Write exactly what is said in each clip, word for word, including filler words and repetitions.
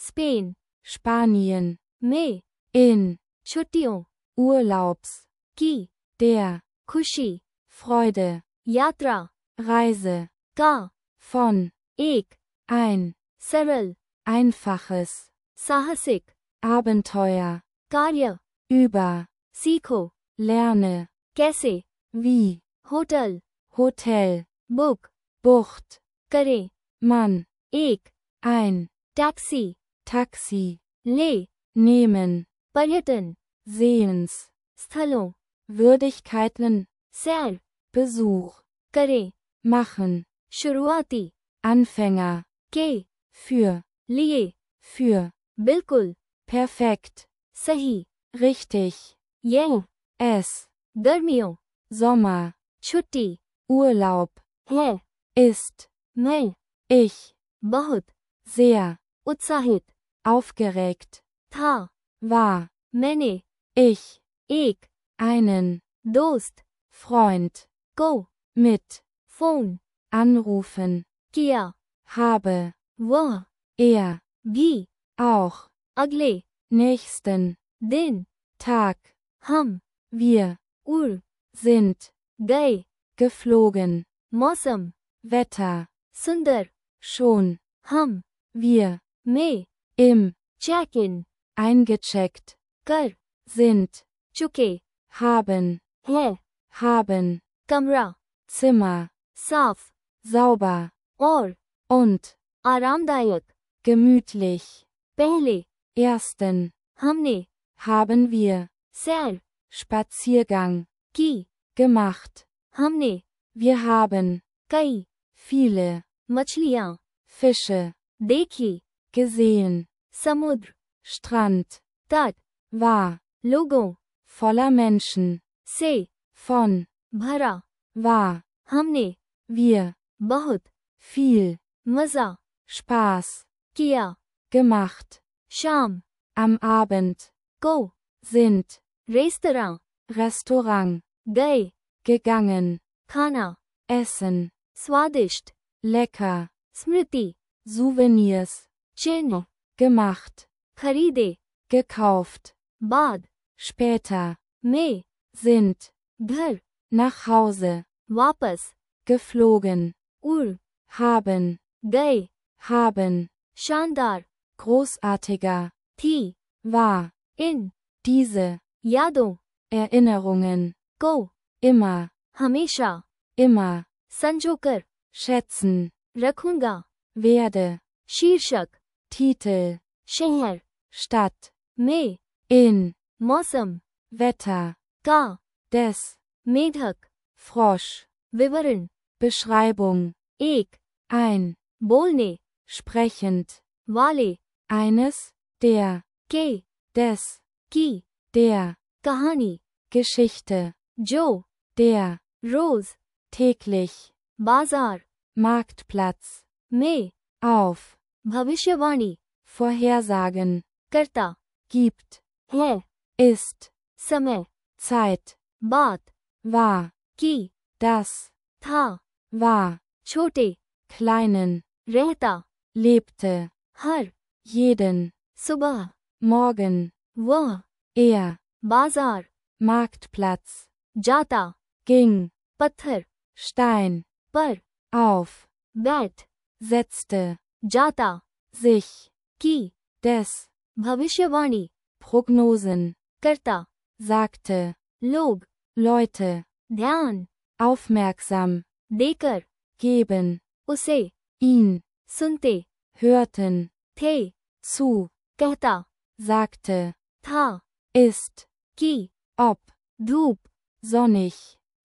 Spain, Spanien, में, in, छुट्टियों, Urlaubs, की, der, खुशी, Freude, यात्रा, Reise, का, von, एक, ein, सरल, einfaches, साहसिक, Abenteuer, कार्य, über, सीखो, lerne, कैसे, wie, hotel, Hotel, book, Bucht, करें, Mann, एक, ein, टैक्सी, Taxi, ले, nehmen, पर्यटन, Sehens, स्थलों, Würdigkeiten, सैर, Besuch, करें, machen, शुरुआती, Anfänger, के, für, लिए, für, बिल्कुल, perfekt, सही, richtig, ये, es, गर्मियों, Sommer, छुट्टी, Urlaub, है, ist, मैं, ich, बहुत, sehr, उत्साहित, aufgeregt, था, war, मैंने, ich, एक, einen, दोस्त, Freund, को, mit, फोन, anrufen, किया, habe, वह, er, भी, auch, अगले, nächsten, दिन, Tag, हम, wir, उड़, sind, गए, geflogen, मौसम, Wetter, सुंदर, schon, हम, wir, में, im, चेक इन, eingecheckt, कर, sind, चुके, haben, है, haben, कमरा, Zimmer, साफ, sauber, और, und, आरामदायक, gemütlich, पहले, ersten, हमने, haben wir, सैर, Spaziergang, की, gemacht, हमने, wir haben, कई, viele, मछलियाँ, Fische, देखी, gesehen, समुद्र, Strand, तट, war, लोगों, voller Menschen, से, von, भरा, war, हमने, wir, बहुत, viel, मजा, Spaß, किया, gemacht, शाम, am Abend, को, sind, रेस्तरां, Restaurant, गए, gegangen, खाना, essen, स्वादिष्ट, lecker, स्मृति, Souvenirs, चिन्ह, gemacht, खरीदे, gekauft, बाद, später, में, sind, घर, nach Hause, वापस, geflogen, उड़, haben, गए, haben, शानदार, großartiger, थी, war, इन, diese, यादों, Erinnerungen, को, immer, हमेशा, immer, संजोकर, schätzen, रखूंगा, werde, शीर्षक, Titel, शहर, Stadt, में, in, मौसम, Wetter, का, des, मेढक, Frosch, विवरण, Beschreibung, एक, ein, बोलने, sprechend, वाले, eines, der, के, des, की, der, कहानी, Geschichte, जो, der, रोज, täglich, बाजार, Marktplatz, में, auf, भविष्यवाणी, Vorhersagen, करता, gibt, है, ist, समय, Zeit, बात, war, की, das, था, war, छोटे, kleinen, रहता, lebte, हर, jeden, सुबह, morgen, वह, er, बाजार, Marktplatz, जाता, ging, पत्थर, Stein, पर, auf, बैठ, setzte, जाता, sich, की, des, भविष्यवाणी, Prognosen, करता, sagte, लोग, Leute, ध्यान, aufmerksam, देकर, geben, उसे, ihn, सुनते, hörten, थे, zu, कहता, sagte, था, ist, की, ob, धूप, sonnig,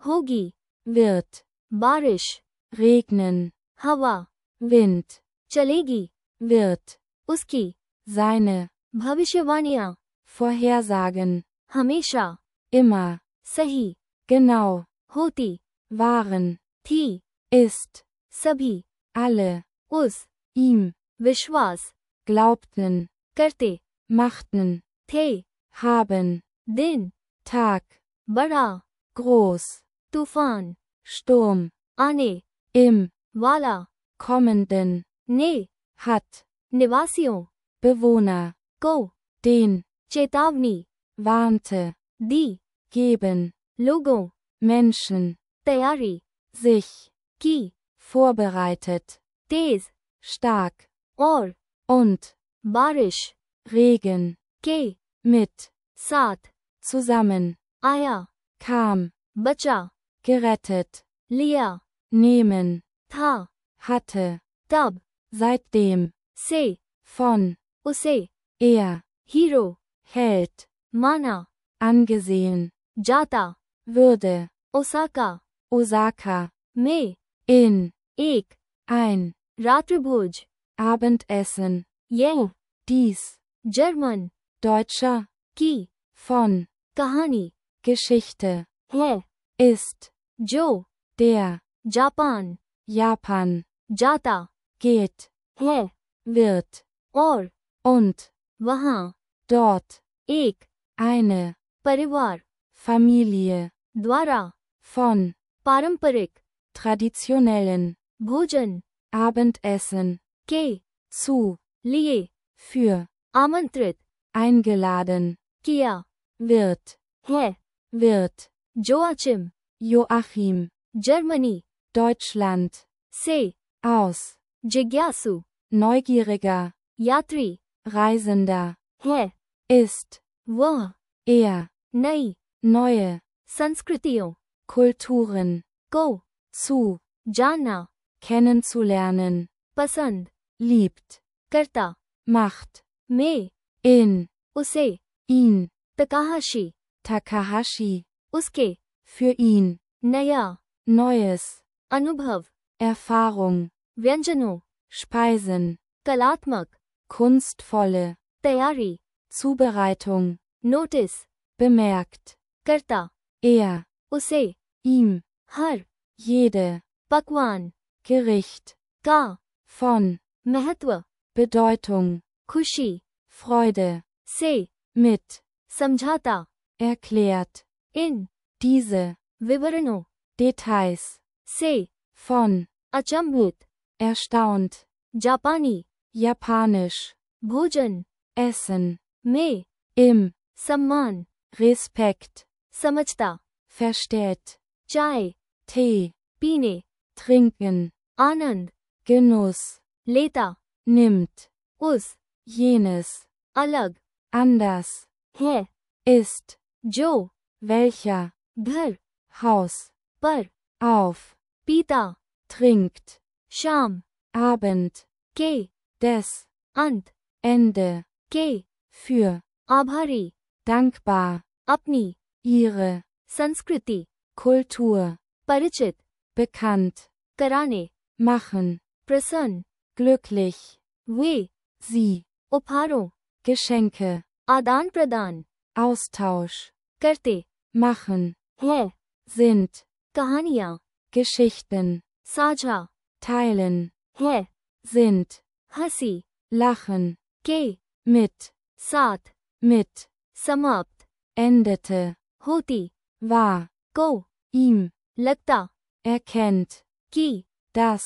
होगी, wird, बारिश, regnen, हवा, Wind, चलेगी, wird, उसकी, seine, भविष्यवाणियां, Vorhersagen, हमेशा, immer, सही, genau, होती, waren, थी, ist, सभी, alle, उस, ihm, विश्वास, glaubten, करते, machten, थे, haben, दिन, Tag, बड़ा, groß, तूफान, Sturm, आने, im, वाला, kommenden, ने, hat, निवासियों, Bewohner, को, den, चेतावनी, warnte, दी, geben, लोगों, Menschen, तैयारी, sich, की, vorbereitet, तेज, stark, और, und, बारिश, Regen, के, mit, साथ, zusammen, आया, kam, बचा, gerettet, लिया, nehmen, था, hatte, तब, seitdem, से, von, उसे, er, हीरो, Held, माना, angesehen, जाता, würde, ओसाका, Osaka, में, in, एक, ein, रात्रिभोज, Abendessen, यह, dies, जर्मन, deutscher, की, von, कहानी, Geschichte, है, ist, जो, der, जापान, Japan, जाता, geht, है, wird, और, und, वहाँ, dort, एक, eine, परिवार, Familie, द्वारा, von, पारंपरिक, traditionellen, भोजन, Abendessen, के, zu, लिए, für, आमंत्रित, eingeladen, किया, wird, है, wird, Joachim, Joachim, Germany, Deutschland, से, aus, जिज्ञासु, neugieriger, यात्री, Reisender, है, ist, वह, er, नई, neue, संस्कृतियों, Kulturen, को, zu, जानना, kennenzulernen, पसंद, liebt, करता, macht, में, in, उसे, ihn, तकाहाशी, Takahashi, उसके, für ihn, नया, Neues, अनुभव, Erfahrung, व्यंजनों, Speisen, कलात्मक, kunstvolle, तैयारी, Zubereitung, नोटिस, bemerkt, करता, er, उसे, ihm, हर, jede, पकवान, Gericht, का, von, महत्व, Bedeutung, खुशी, Freude, से, mit, समझाता, erklärt, इन, diese, विवरणों, Details, से, von, अचंभित, erstaunt, जापानी, japanisch, भोजन, essen, में, im, सम्मान, Respekt, समझता, versteht, चाय, Tee, पीने, trinken, आनंद, Genuss, लेता, nimmt, उस, jenes, अलग, anders, है, ist, जो, welcher, घर, Haus, पर, auf, पीता, trinkt, शाम, Abend, के, des, अंत, Ende, के, für, आभारी, dankbar, अपनी, ihre, संस्कृति, Kultur, परिचित, bekannt, कराने, machen, प्रसन्न, glücklich, वे, sie, उपहारों, Geschenke, आदान प्रदान, Austausch, करते, machen, है, sind, कहानियाँ, Geschichten, साझा, teilen, है, sind, हंसी, lachen, के, mit, साथ, mit, समाप्त, endete, होती, war, को, ihm, लगता, erkennt, कि, das,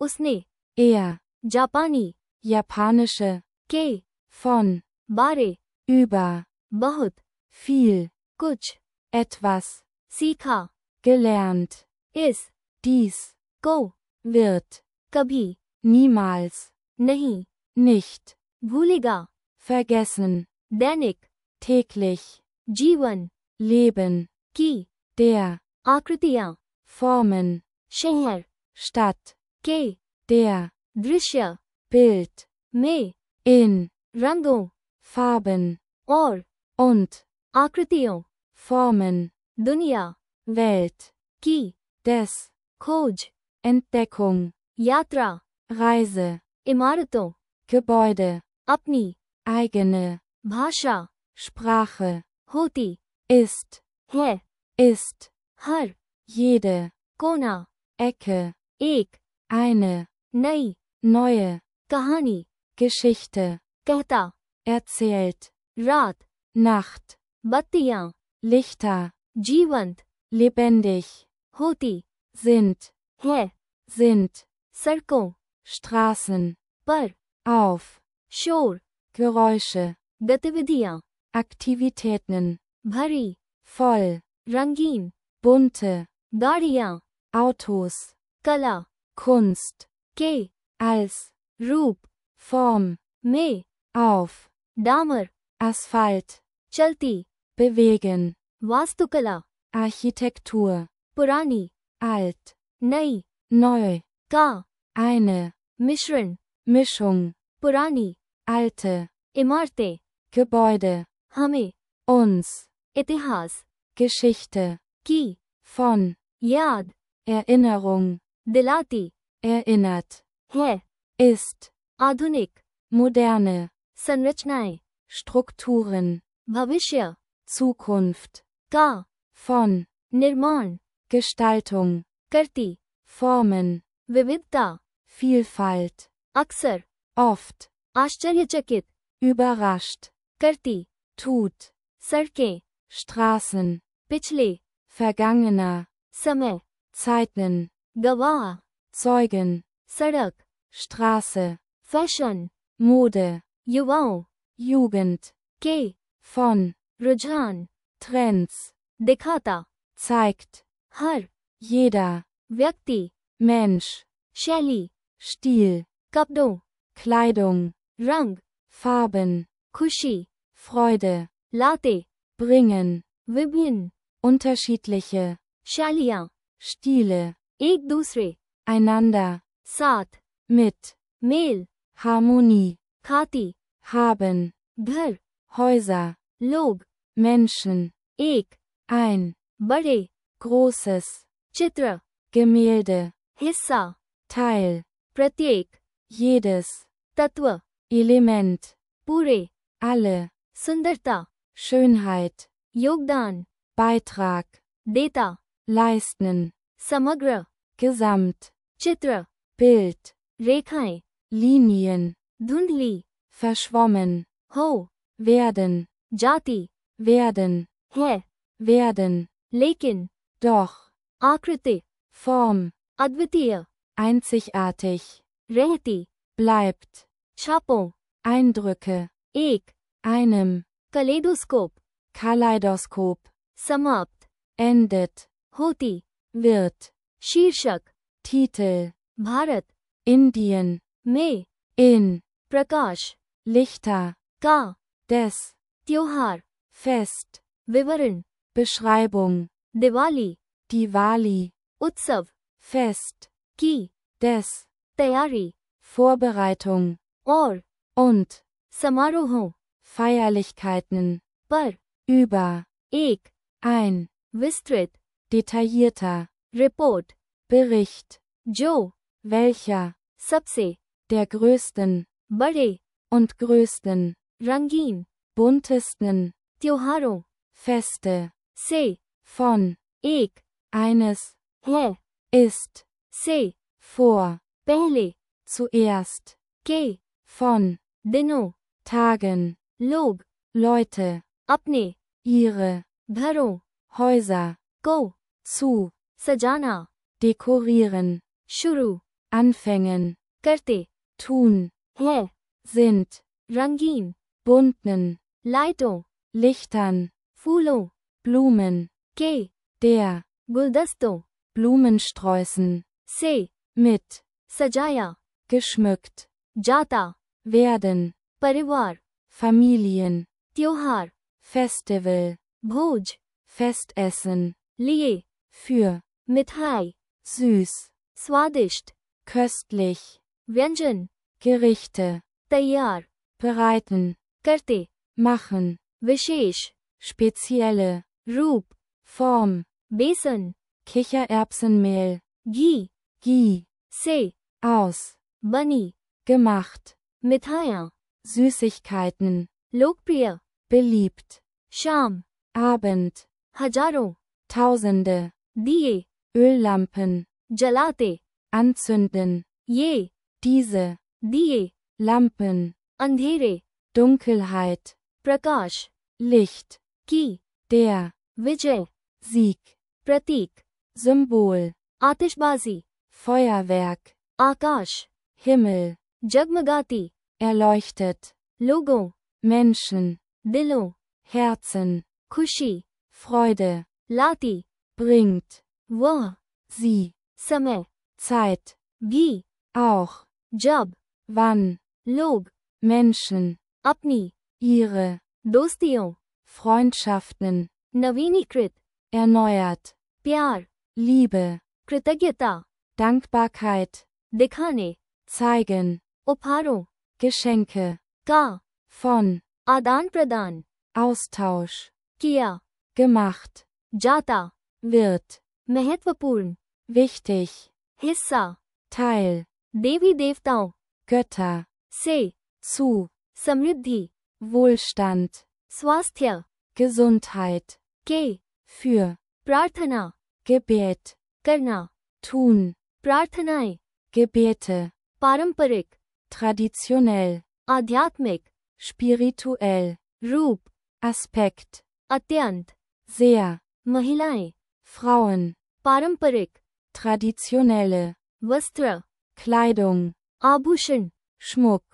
उसने, er, जापानी, japanische, के, von, बारे, über, बहुत, viel, कुछ, etwas, सीखा, gelernt, इस, dies, को, wird, कभी, niemals, नहीं, nicht, भूलेगा, vergessen, दैनिक, täglich, जीवन, leben, की, der, आकृतियाँ, Formen, शहर, Stadt, के, der, दृश्य, Bild, में, in, रंगों, Farben, और, und, आकृतियों, Formen, दुनिया, Welt, की, des, खोज, Entdeckung, यात्रा, Reise, इमारतों, Gebäude, अपनी, eigene, भाषा, Sprache, होती, ist, है, ist, हर, jede, कोना, Ecke, एक, eine, नई, neue, कहानी, Geschichte, कहता, erzählt, रात, Nacht, बत्तियाँ, Lichter, जीवंत, lebendig, होती, sind, है, sind, सड़कों, Straßen, पर, auf, शोर, Geräusche, गतिविधियां, Aktivitäten, भरी, voll, रंगीन, bunte, गाड़ियां, Autos, कला, Kunst, के, als, रूप, Form, में, auf, डामर, Asphalt, चलती, bewegen, वास्तुकला, Architektur, पुरानी, alt, नई, neu, का, eine, मिश्रण, Mischung, पुरानी, alte, इमारतें, Gebäude, हमें, uns, इतिहास, Geschichte, की, von, याद, Erinnerung, दिलाती, erinnert, है, ist, आधुनिक, moderne, संरचनाएं, Strukturen, भविष्य, Zukunft, का, von, निर्माण, Gestaltung, करती, Formen, विविधता, Vielfalt, अक्सर, oft, आश्चर्यचकित, überrascht, करती, tut, सड़कें, Straßen, पिछले, vergangener, समय, Zeiten, गवाह, Zeugen, सड़क, Straße, फैशन, Mode, युवाओं, Jugend, के, von, रुझान, Trends, दिखाता, zeigt, हर, jeder, व्यक्ति, Mensch, शैली, Stil, कपड़ों, Kleidung, रंग, Farben, खुशी, Freude, लाते, bringen, विभिन्न, unterschiedliche, शैलियाँ, Stile, एक दूसरे, einander, साथ, mit, मेल, Harmonie, खाती, haben, घर, Häuser, लोग, Menschen, एक, ein, बड़े, großes, चित्र, Gemälde, हिस्सा, Teil, प्रत्येक, jedes, तत्व, Element, पूरे, alle, सुंदरता, Schönheit, योगदान, Beitrag, देता, leisten, समग्र, Gesamt, चित्र, Bild, रेखाएं, Linien, धुंधली, verschwommen, हो, werden, जाति, werden, है, werden, लेकिन, doch, आकृति, Form, अद्वितीय, einzigartig, रहती, bleibt, छापों, Eindrücke, एक, einem, कलेडोस्कोप, Kaleidoskop, समाप्त, endet, होती, wird, शीर्षक, Titel, भारत, Indien, में, in, प्रकाश, Lichter, का, des, त्योहार, Fest, विवरण, Beschreibung, दिवाली, Diwali, उत्सव, Fest, की, des, तैयारी, Vorbereitung, और, und, समारोहों, Feierlichkeiten, पर, über, एक, ein, विस्तृत, detaillierter, रिपोर्ट, Bericht, जो, welcher, सबसे, der größten, बड़े, und größten, रंगीन, buntesten, त्योहारों, Feste, से, von, एक, eines, है, ist, से, vor, पहले, zuerst, के, von, दिनों, Tagen, लोग, Leute, अपने, ihre, घरों, Häuser, को, zu, सजाना, dekorieren, शुरू, anfängen, करते, tun, है, sind, रंगीन, bunten, लाइटों, Lichtern, फूलों, Blumen, के, der, गुलदस्तों, Blumensträußen, से, mit, सजाया, geschmückt, जाता, werden, परिवार, Familien, त्योहार, Festival, भोज, Festessen, लिए, für, मिठाई, süß, स्वादिष्ट, köstlich, व्यंजन, Gerichte, तैयार, bereiten, करते, machen, विशेष, spezielle, रूप, Form, बेसन, Kichererbsenmehl, घी, Ghee, से, aus, बनी, gemacht, मिठाइयाँ, Süßigkeiten, लोकप्रिय, beliebt, शाम, Abend, हजारों, Tausende, दिए, Öllampen, जलाते, anzünden, ये, diese, दिए, Lampen, अंधेरे, Dunkelheit, प्रकाश, Licht, की, der, विजय, Sieg, प्रतीक, Symbol, आतिशबाजी, Feuerwerk, आकाश, Himmel, जगमगाती, erleuchtet, लोगों, Menschen, दिलों, Herzen, खुशी, Freude, लाती, bringt, वह, sie, समय, Zeit, भी, auch, जब, wann, लोग, Menschen, अपनी, ihre, दोस्तियों, Freundschaften, नवीनीकृत, erneuert, प्यार, Liebe, कृतज्ञता, Dankbarkeit, दिखाने, zeigen, उपहारों, Geschenke, का, von, आदान प्रदान, Austausch, किया, gemacht, जाता, wird, महत्वपूर्ण, wichtig, हिस्सा, Teil, देवी देवताओं, Götter, से, zu, समृद्धि, Wohlstand, स्वास्थ्य, Gesundheit, के, für, प्रार्थना, Gebet, करना, tun, प्रार्थनाएं, Gebete, पारंपरिक, traditionell, आध्यात्मिक, spirituell, रूप, Aspekt, अत्यंत, sehr, महिलाएं, Frauen, पारंपरिक, traditionelle, वस्त्र, Kleidung, आभूषण, Schmuck,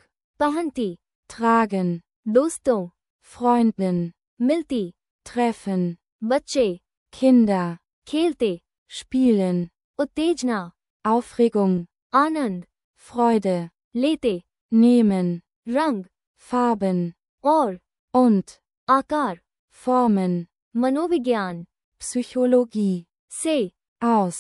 पहनती, tragen, दोस्तों, Freundin, मिलती, treffen, बच्चे, Kinder, खेलते, spielen, उत्तेजना, Aufregung, आनंद, Freude, लेते, nehmen, रंग, Farben, और, und, आकार, Formen, मनोविज्ञान, Psychologie, से, aus,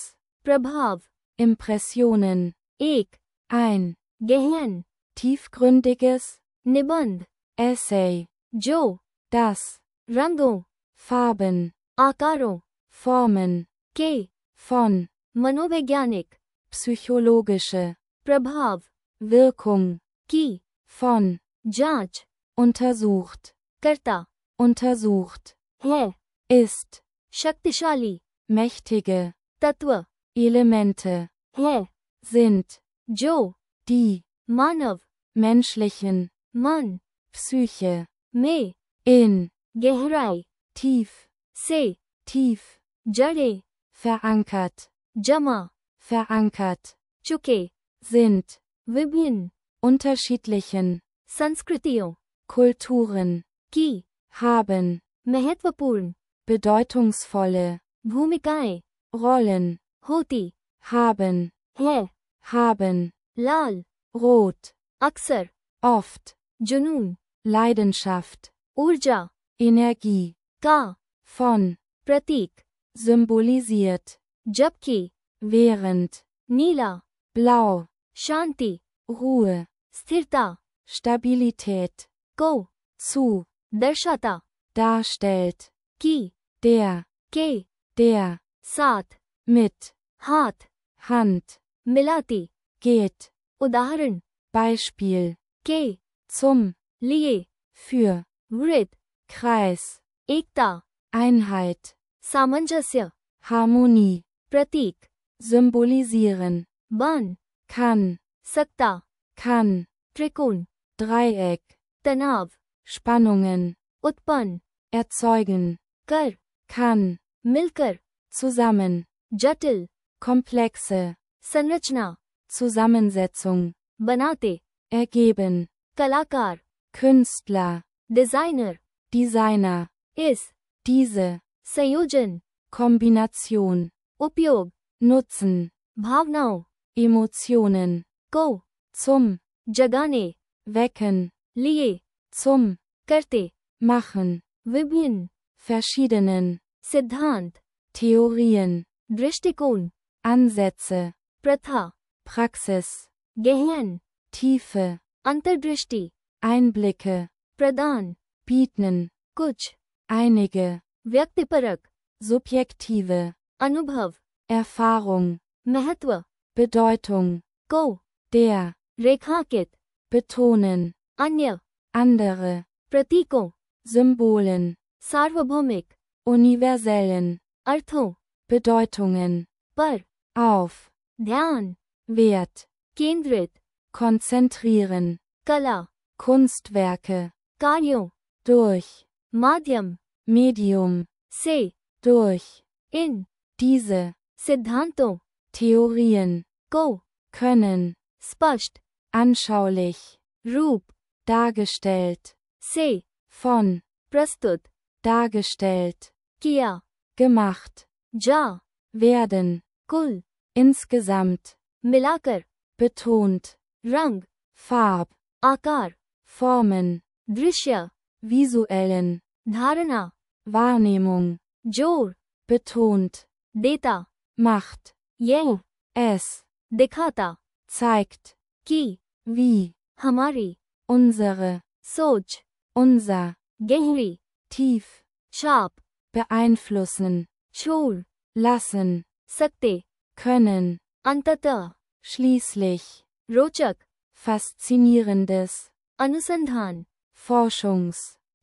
प्रभाव, Impressionen, एक, ein, गहन, tiefgründiges, निबंध, Essay, जो, das, रंगों, Farben, आकारों, Formen, के, von, मनोवैज्ञानिक, psychologische, प्रभाव, Wirkung, की, von, जांच, untersucht, करता, untersucht, है, ist, शक्तिशाली, mächtige, तत्व, Elemente, है, sind, जो, die, मानव, menschlichen, मन, Psyche, में, in, गहराई, tief, से, tief, जड़े, verankert, जमा, verankert, चुके, sind, विभिन्न, unterschiedlichen, संस्कृतियों, Kulturen, की, haben, महत्वपूर्ण, bedeutungsvolle, भूमिकाएं, Rollen, होती, haben, है, haben, लाल, rot, अक्सर, oft, जुनून, Leidenschaft, ऊर्जा, Energie, का, von, प्रतीक, symbolisiert, जबकि, während, नीला, blau, शांति, Ruhe, स्थिरता, Stabilität, को, zu, दर्शाता, darstellt, की, der, के, der, साथ, mit, हाथ, Hand, मिलाती, geht, उदाहरण, Beispiel, के, zum, लिए, für, वृत्त, Kreis, एकता, Einheit, सामंजस्य, Harmonie, प्रतीक, symbolisieren, बन, kann, सकता, kann, त्रिकोण, Dreieck, तनाव, Spannungen, उत्पन्न, erzeugen, कर, kann, मिलकर, zusammen, जटिल, komplexe, संरचना, Zusammensetzung, बनाते, ergeben, कलाकार, Künstler, डिजाइनर, Designer, इस, diese, संयोजन, Kombination, उपयोग, nutzen, भावनाओं, Emotionen, को, zum, जगाने, wecken, लिए, zum, करते, machen, विभिन्न, verschiedenen, सिद्धांत, Theorien, दृष्टिकोण, Ansätze, प्रथा, Praxis, गहन, Tiefe, अंतर्दृष्टि, Einblicke, प्रदान, bieten, कुछ, einige, व्यक्तिपरक, subjektive, अनुभव, Erfahrung, महत्व, Bedeutung, को, der, रेखांकित, betonen, अन्य, andere, प्रतीकों, Symbolen, सार्वभौमिक, universellen, अर्थों, Bedeutungen, पर, auf, ध्यान, Wert, केंद्रित, konzentrieren, कला, Kunstwerke, कार्यों, durch, माध्यम, Medium, से, durch, इन, diese, सिद्धांतों, Theorien, को, können, स्पष्ट, anschaulich, रूप, dargestellt, से von, प्रस्तुत dargestellt, किया gemacht, जा werden, कुल insgesamt, मिलाकर betont, रंग Farb, आकार Formen, दृश्य visuellen, धारणा Wahrnehmung, जोर betont, देता macht, यह es, दिखाता zeigt, कि wie, हमारी unsere, सोच unser, गहरी tief, शाप beeinflussen, छोड़ lassen, सकते können, अंततः schließlich, रोचक faszinierendes, अनुसंधान Forschungs,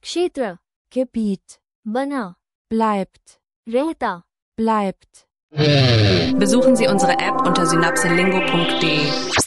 क्षेत्र Gebiet, बना bleibt, रहता bleibt. Besuchen Sie unsere App unter synapselingo punkt de.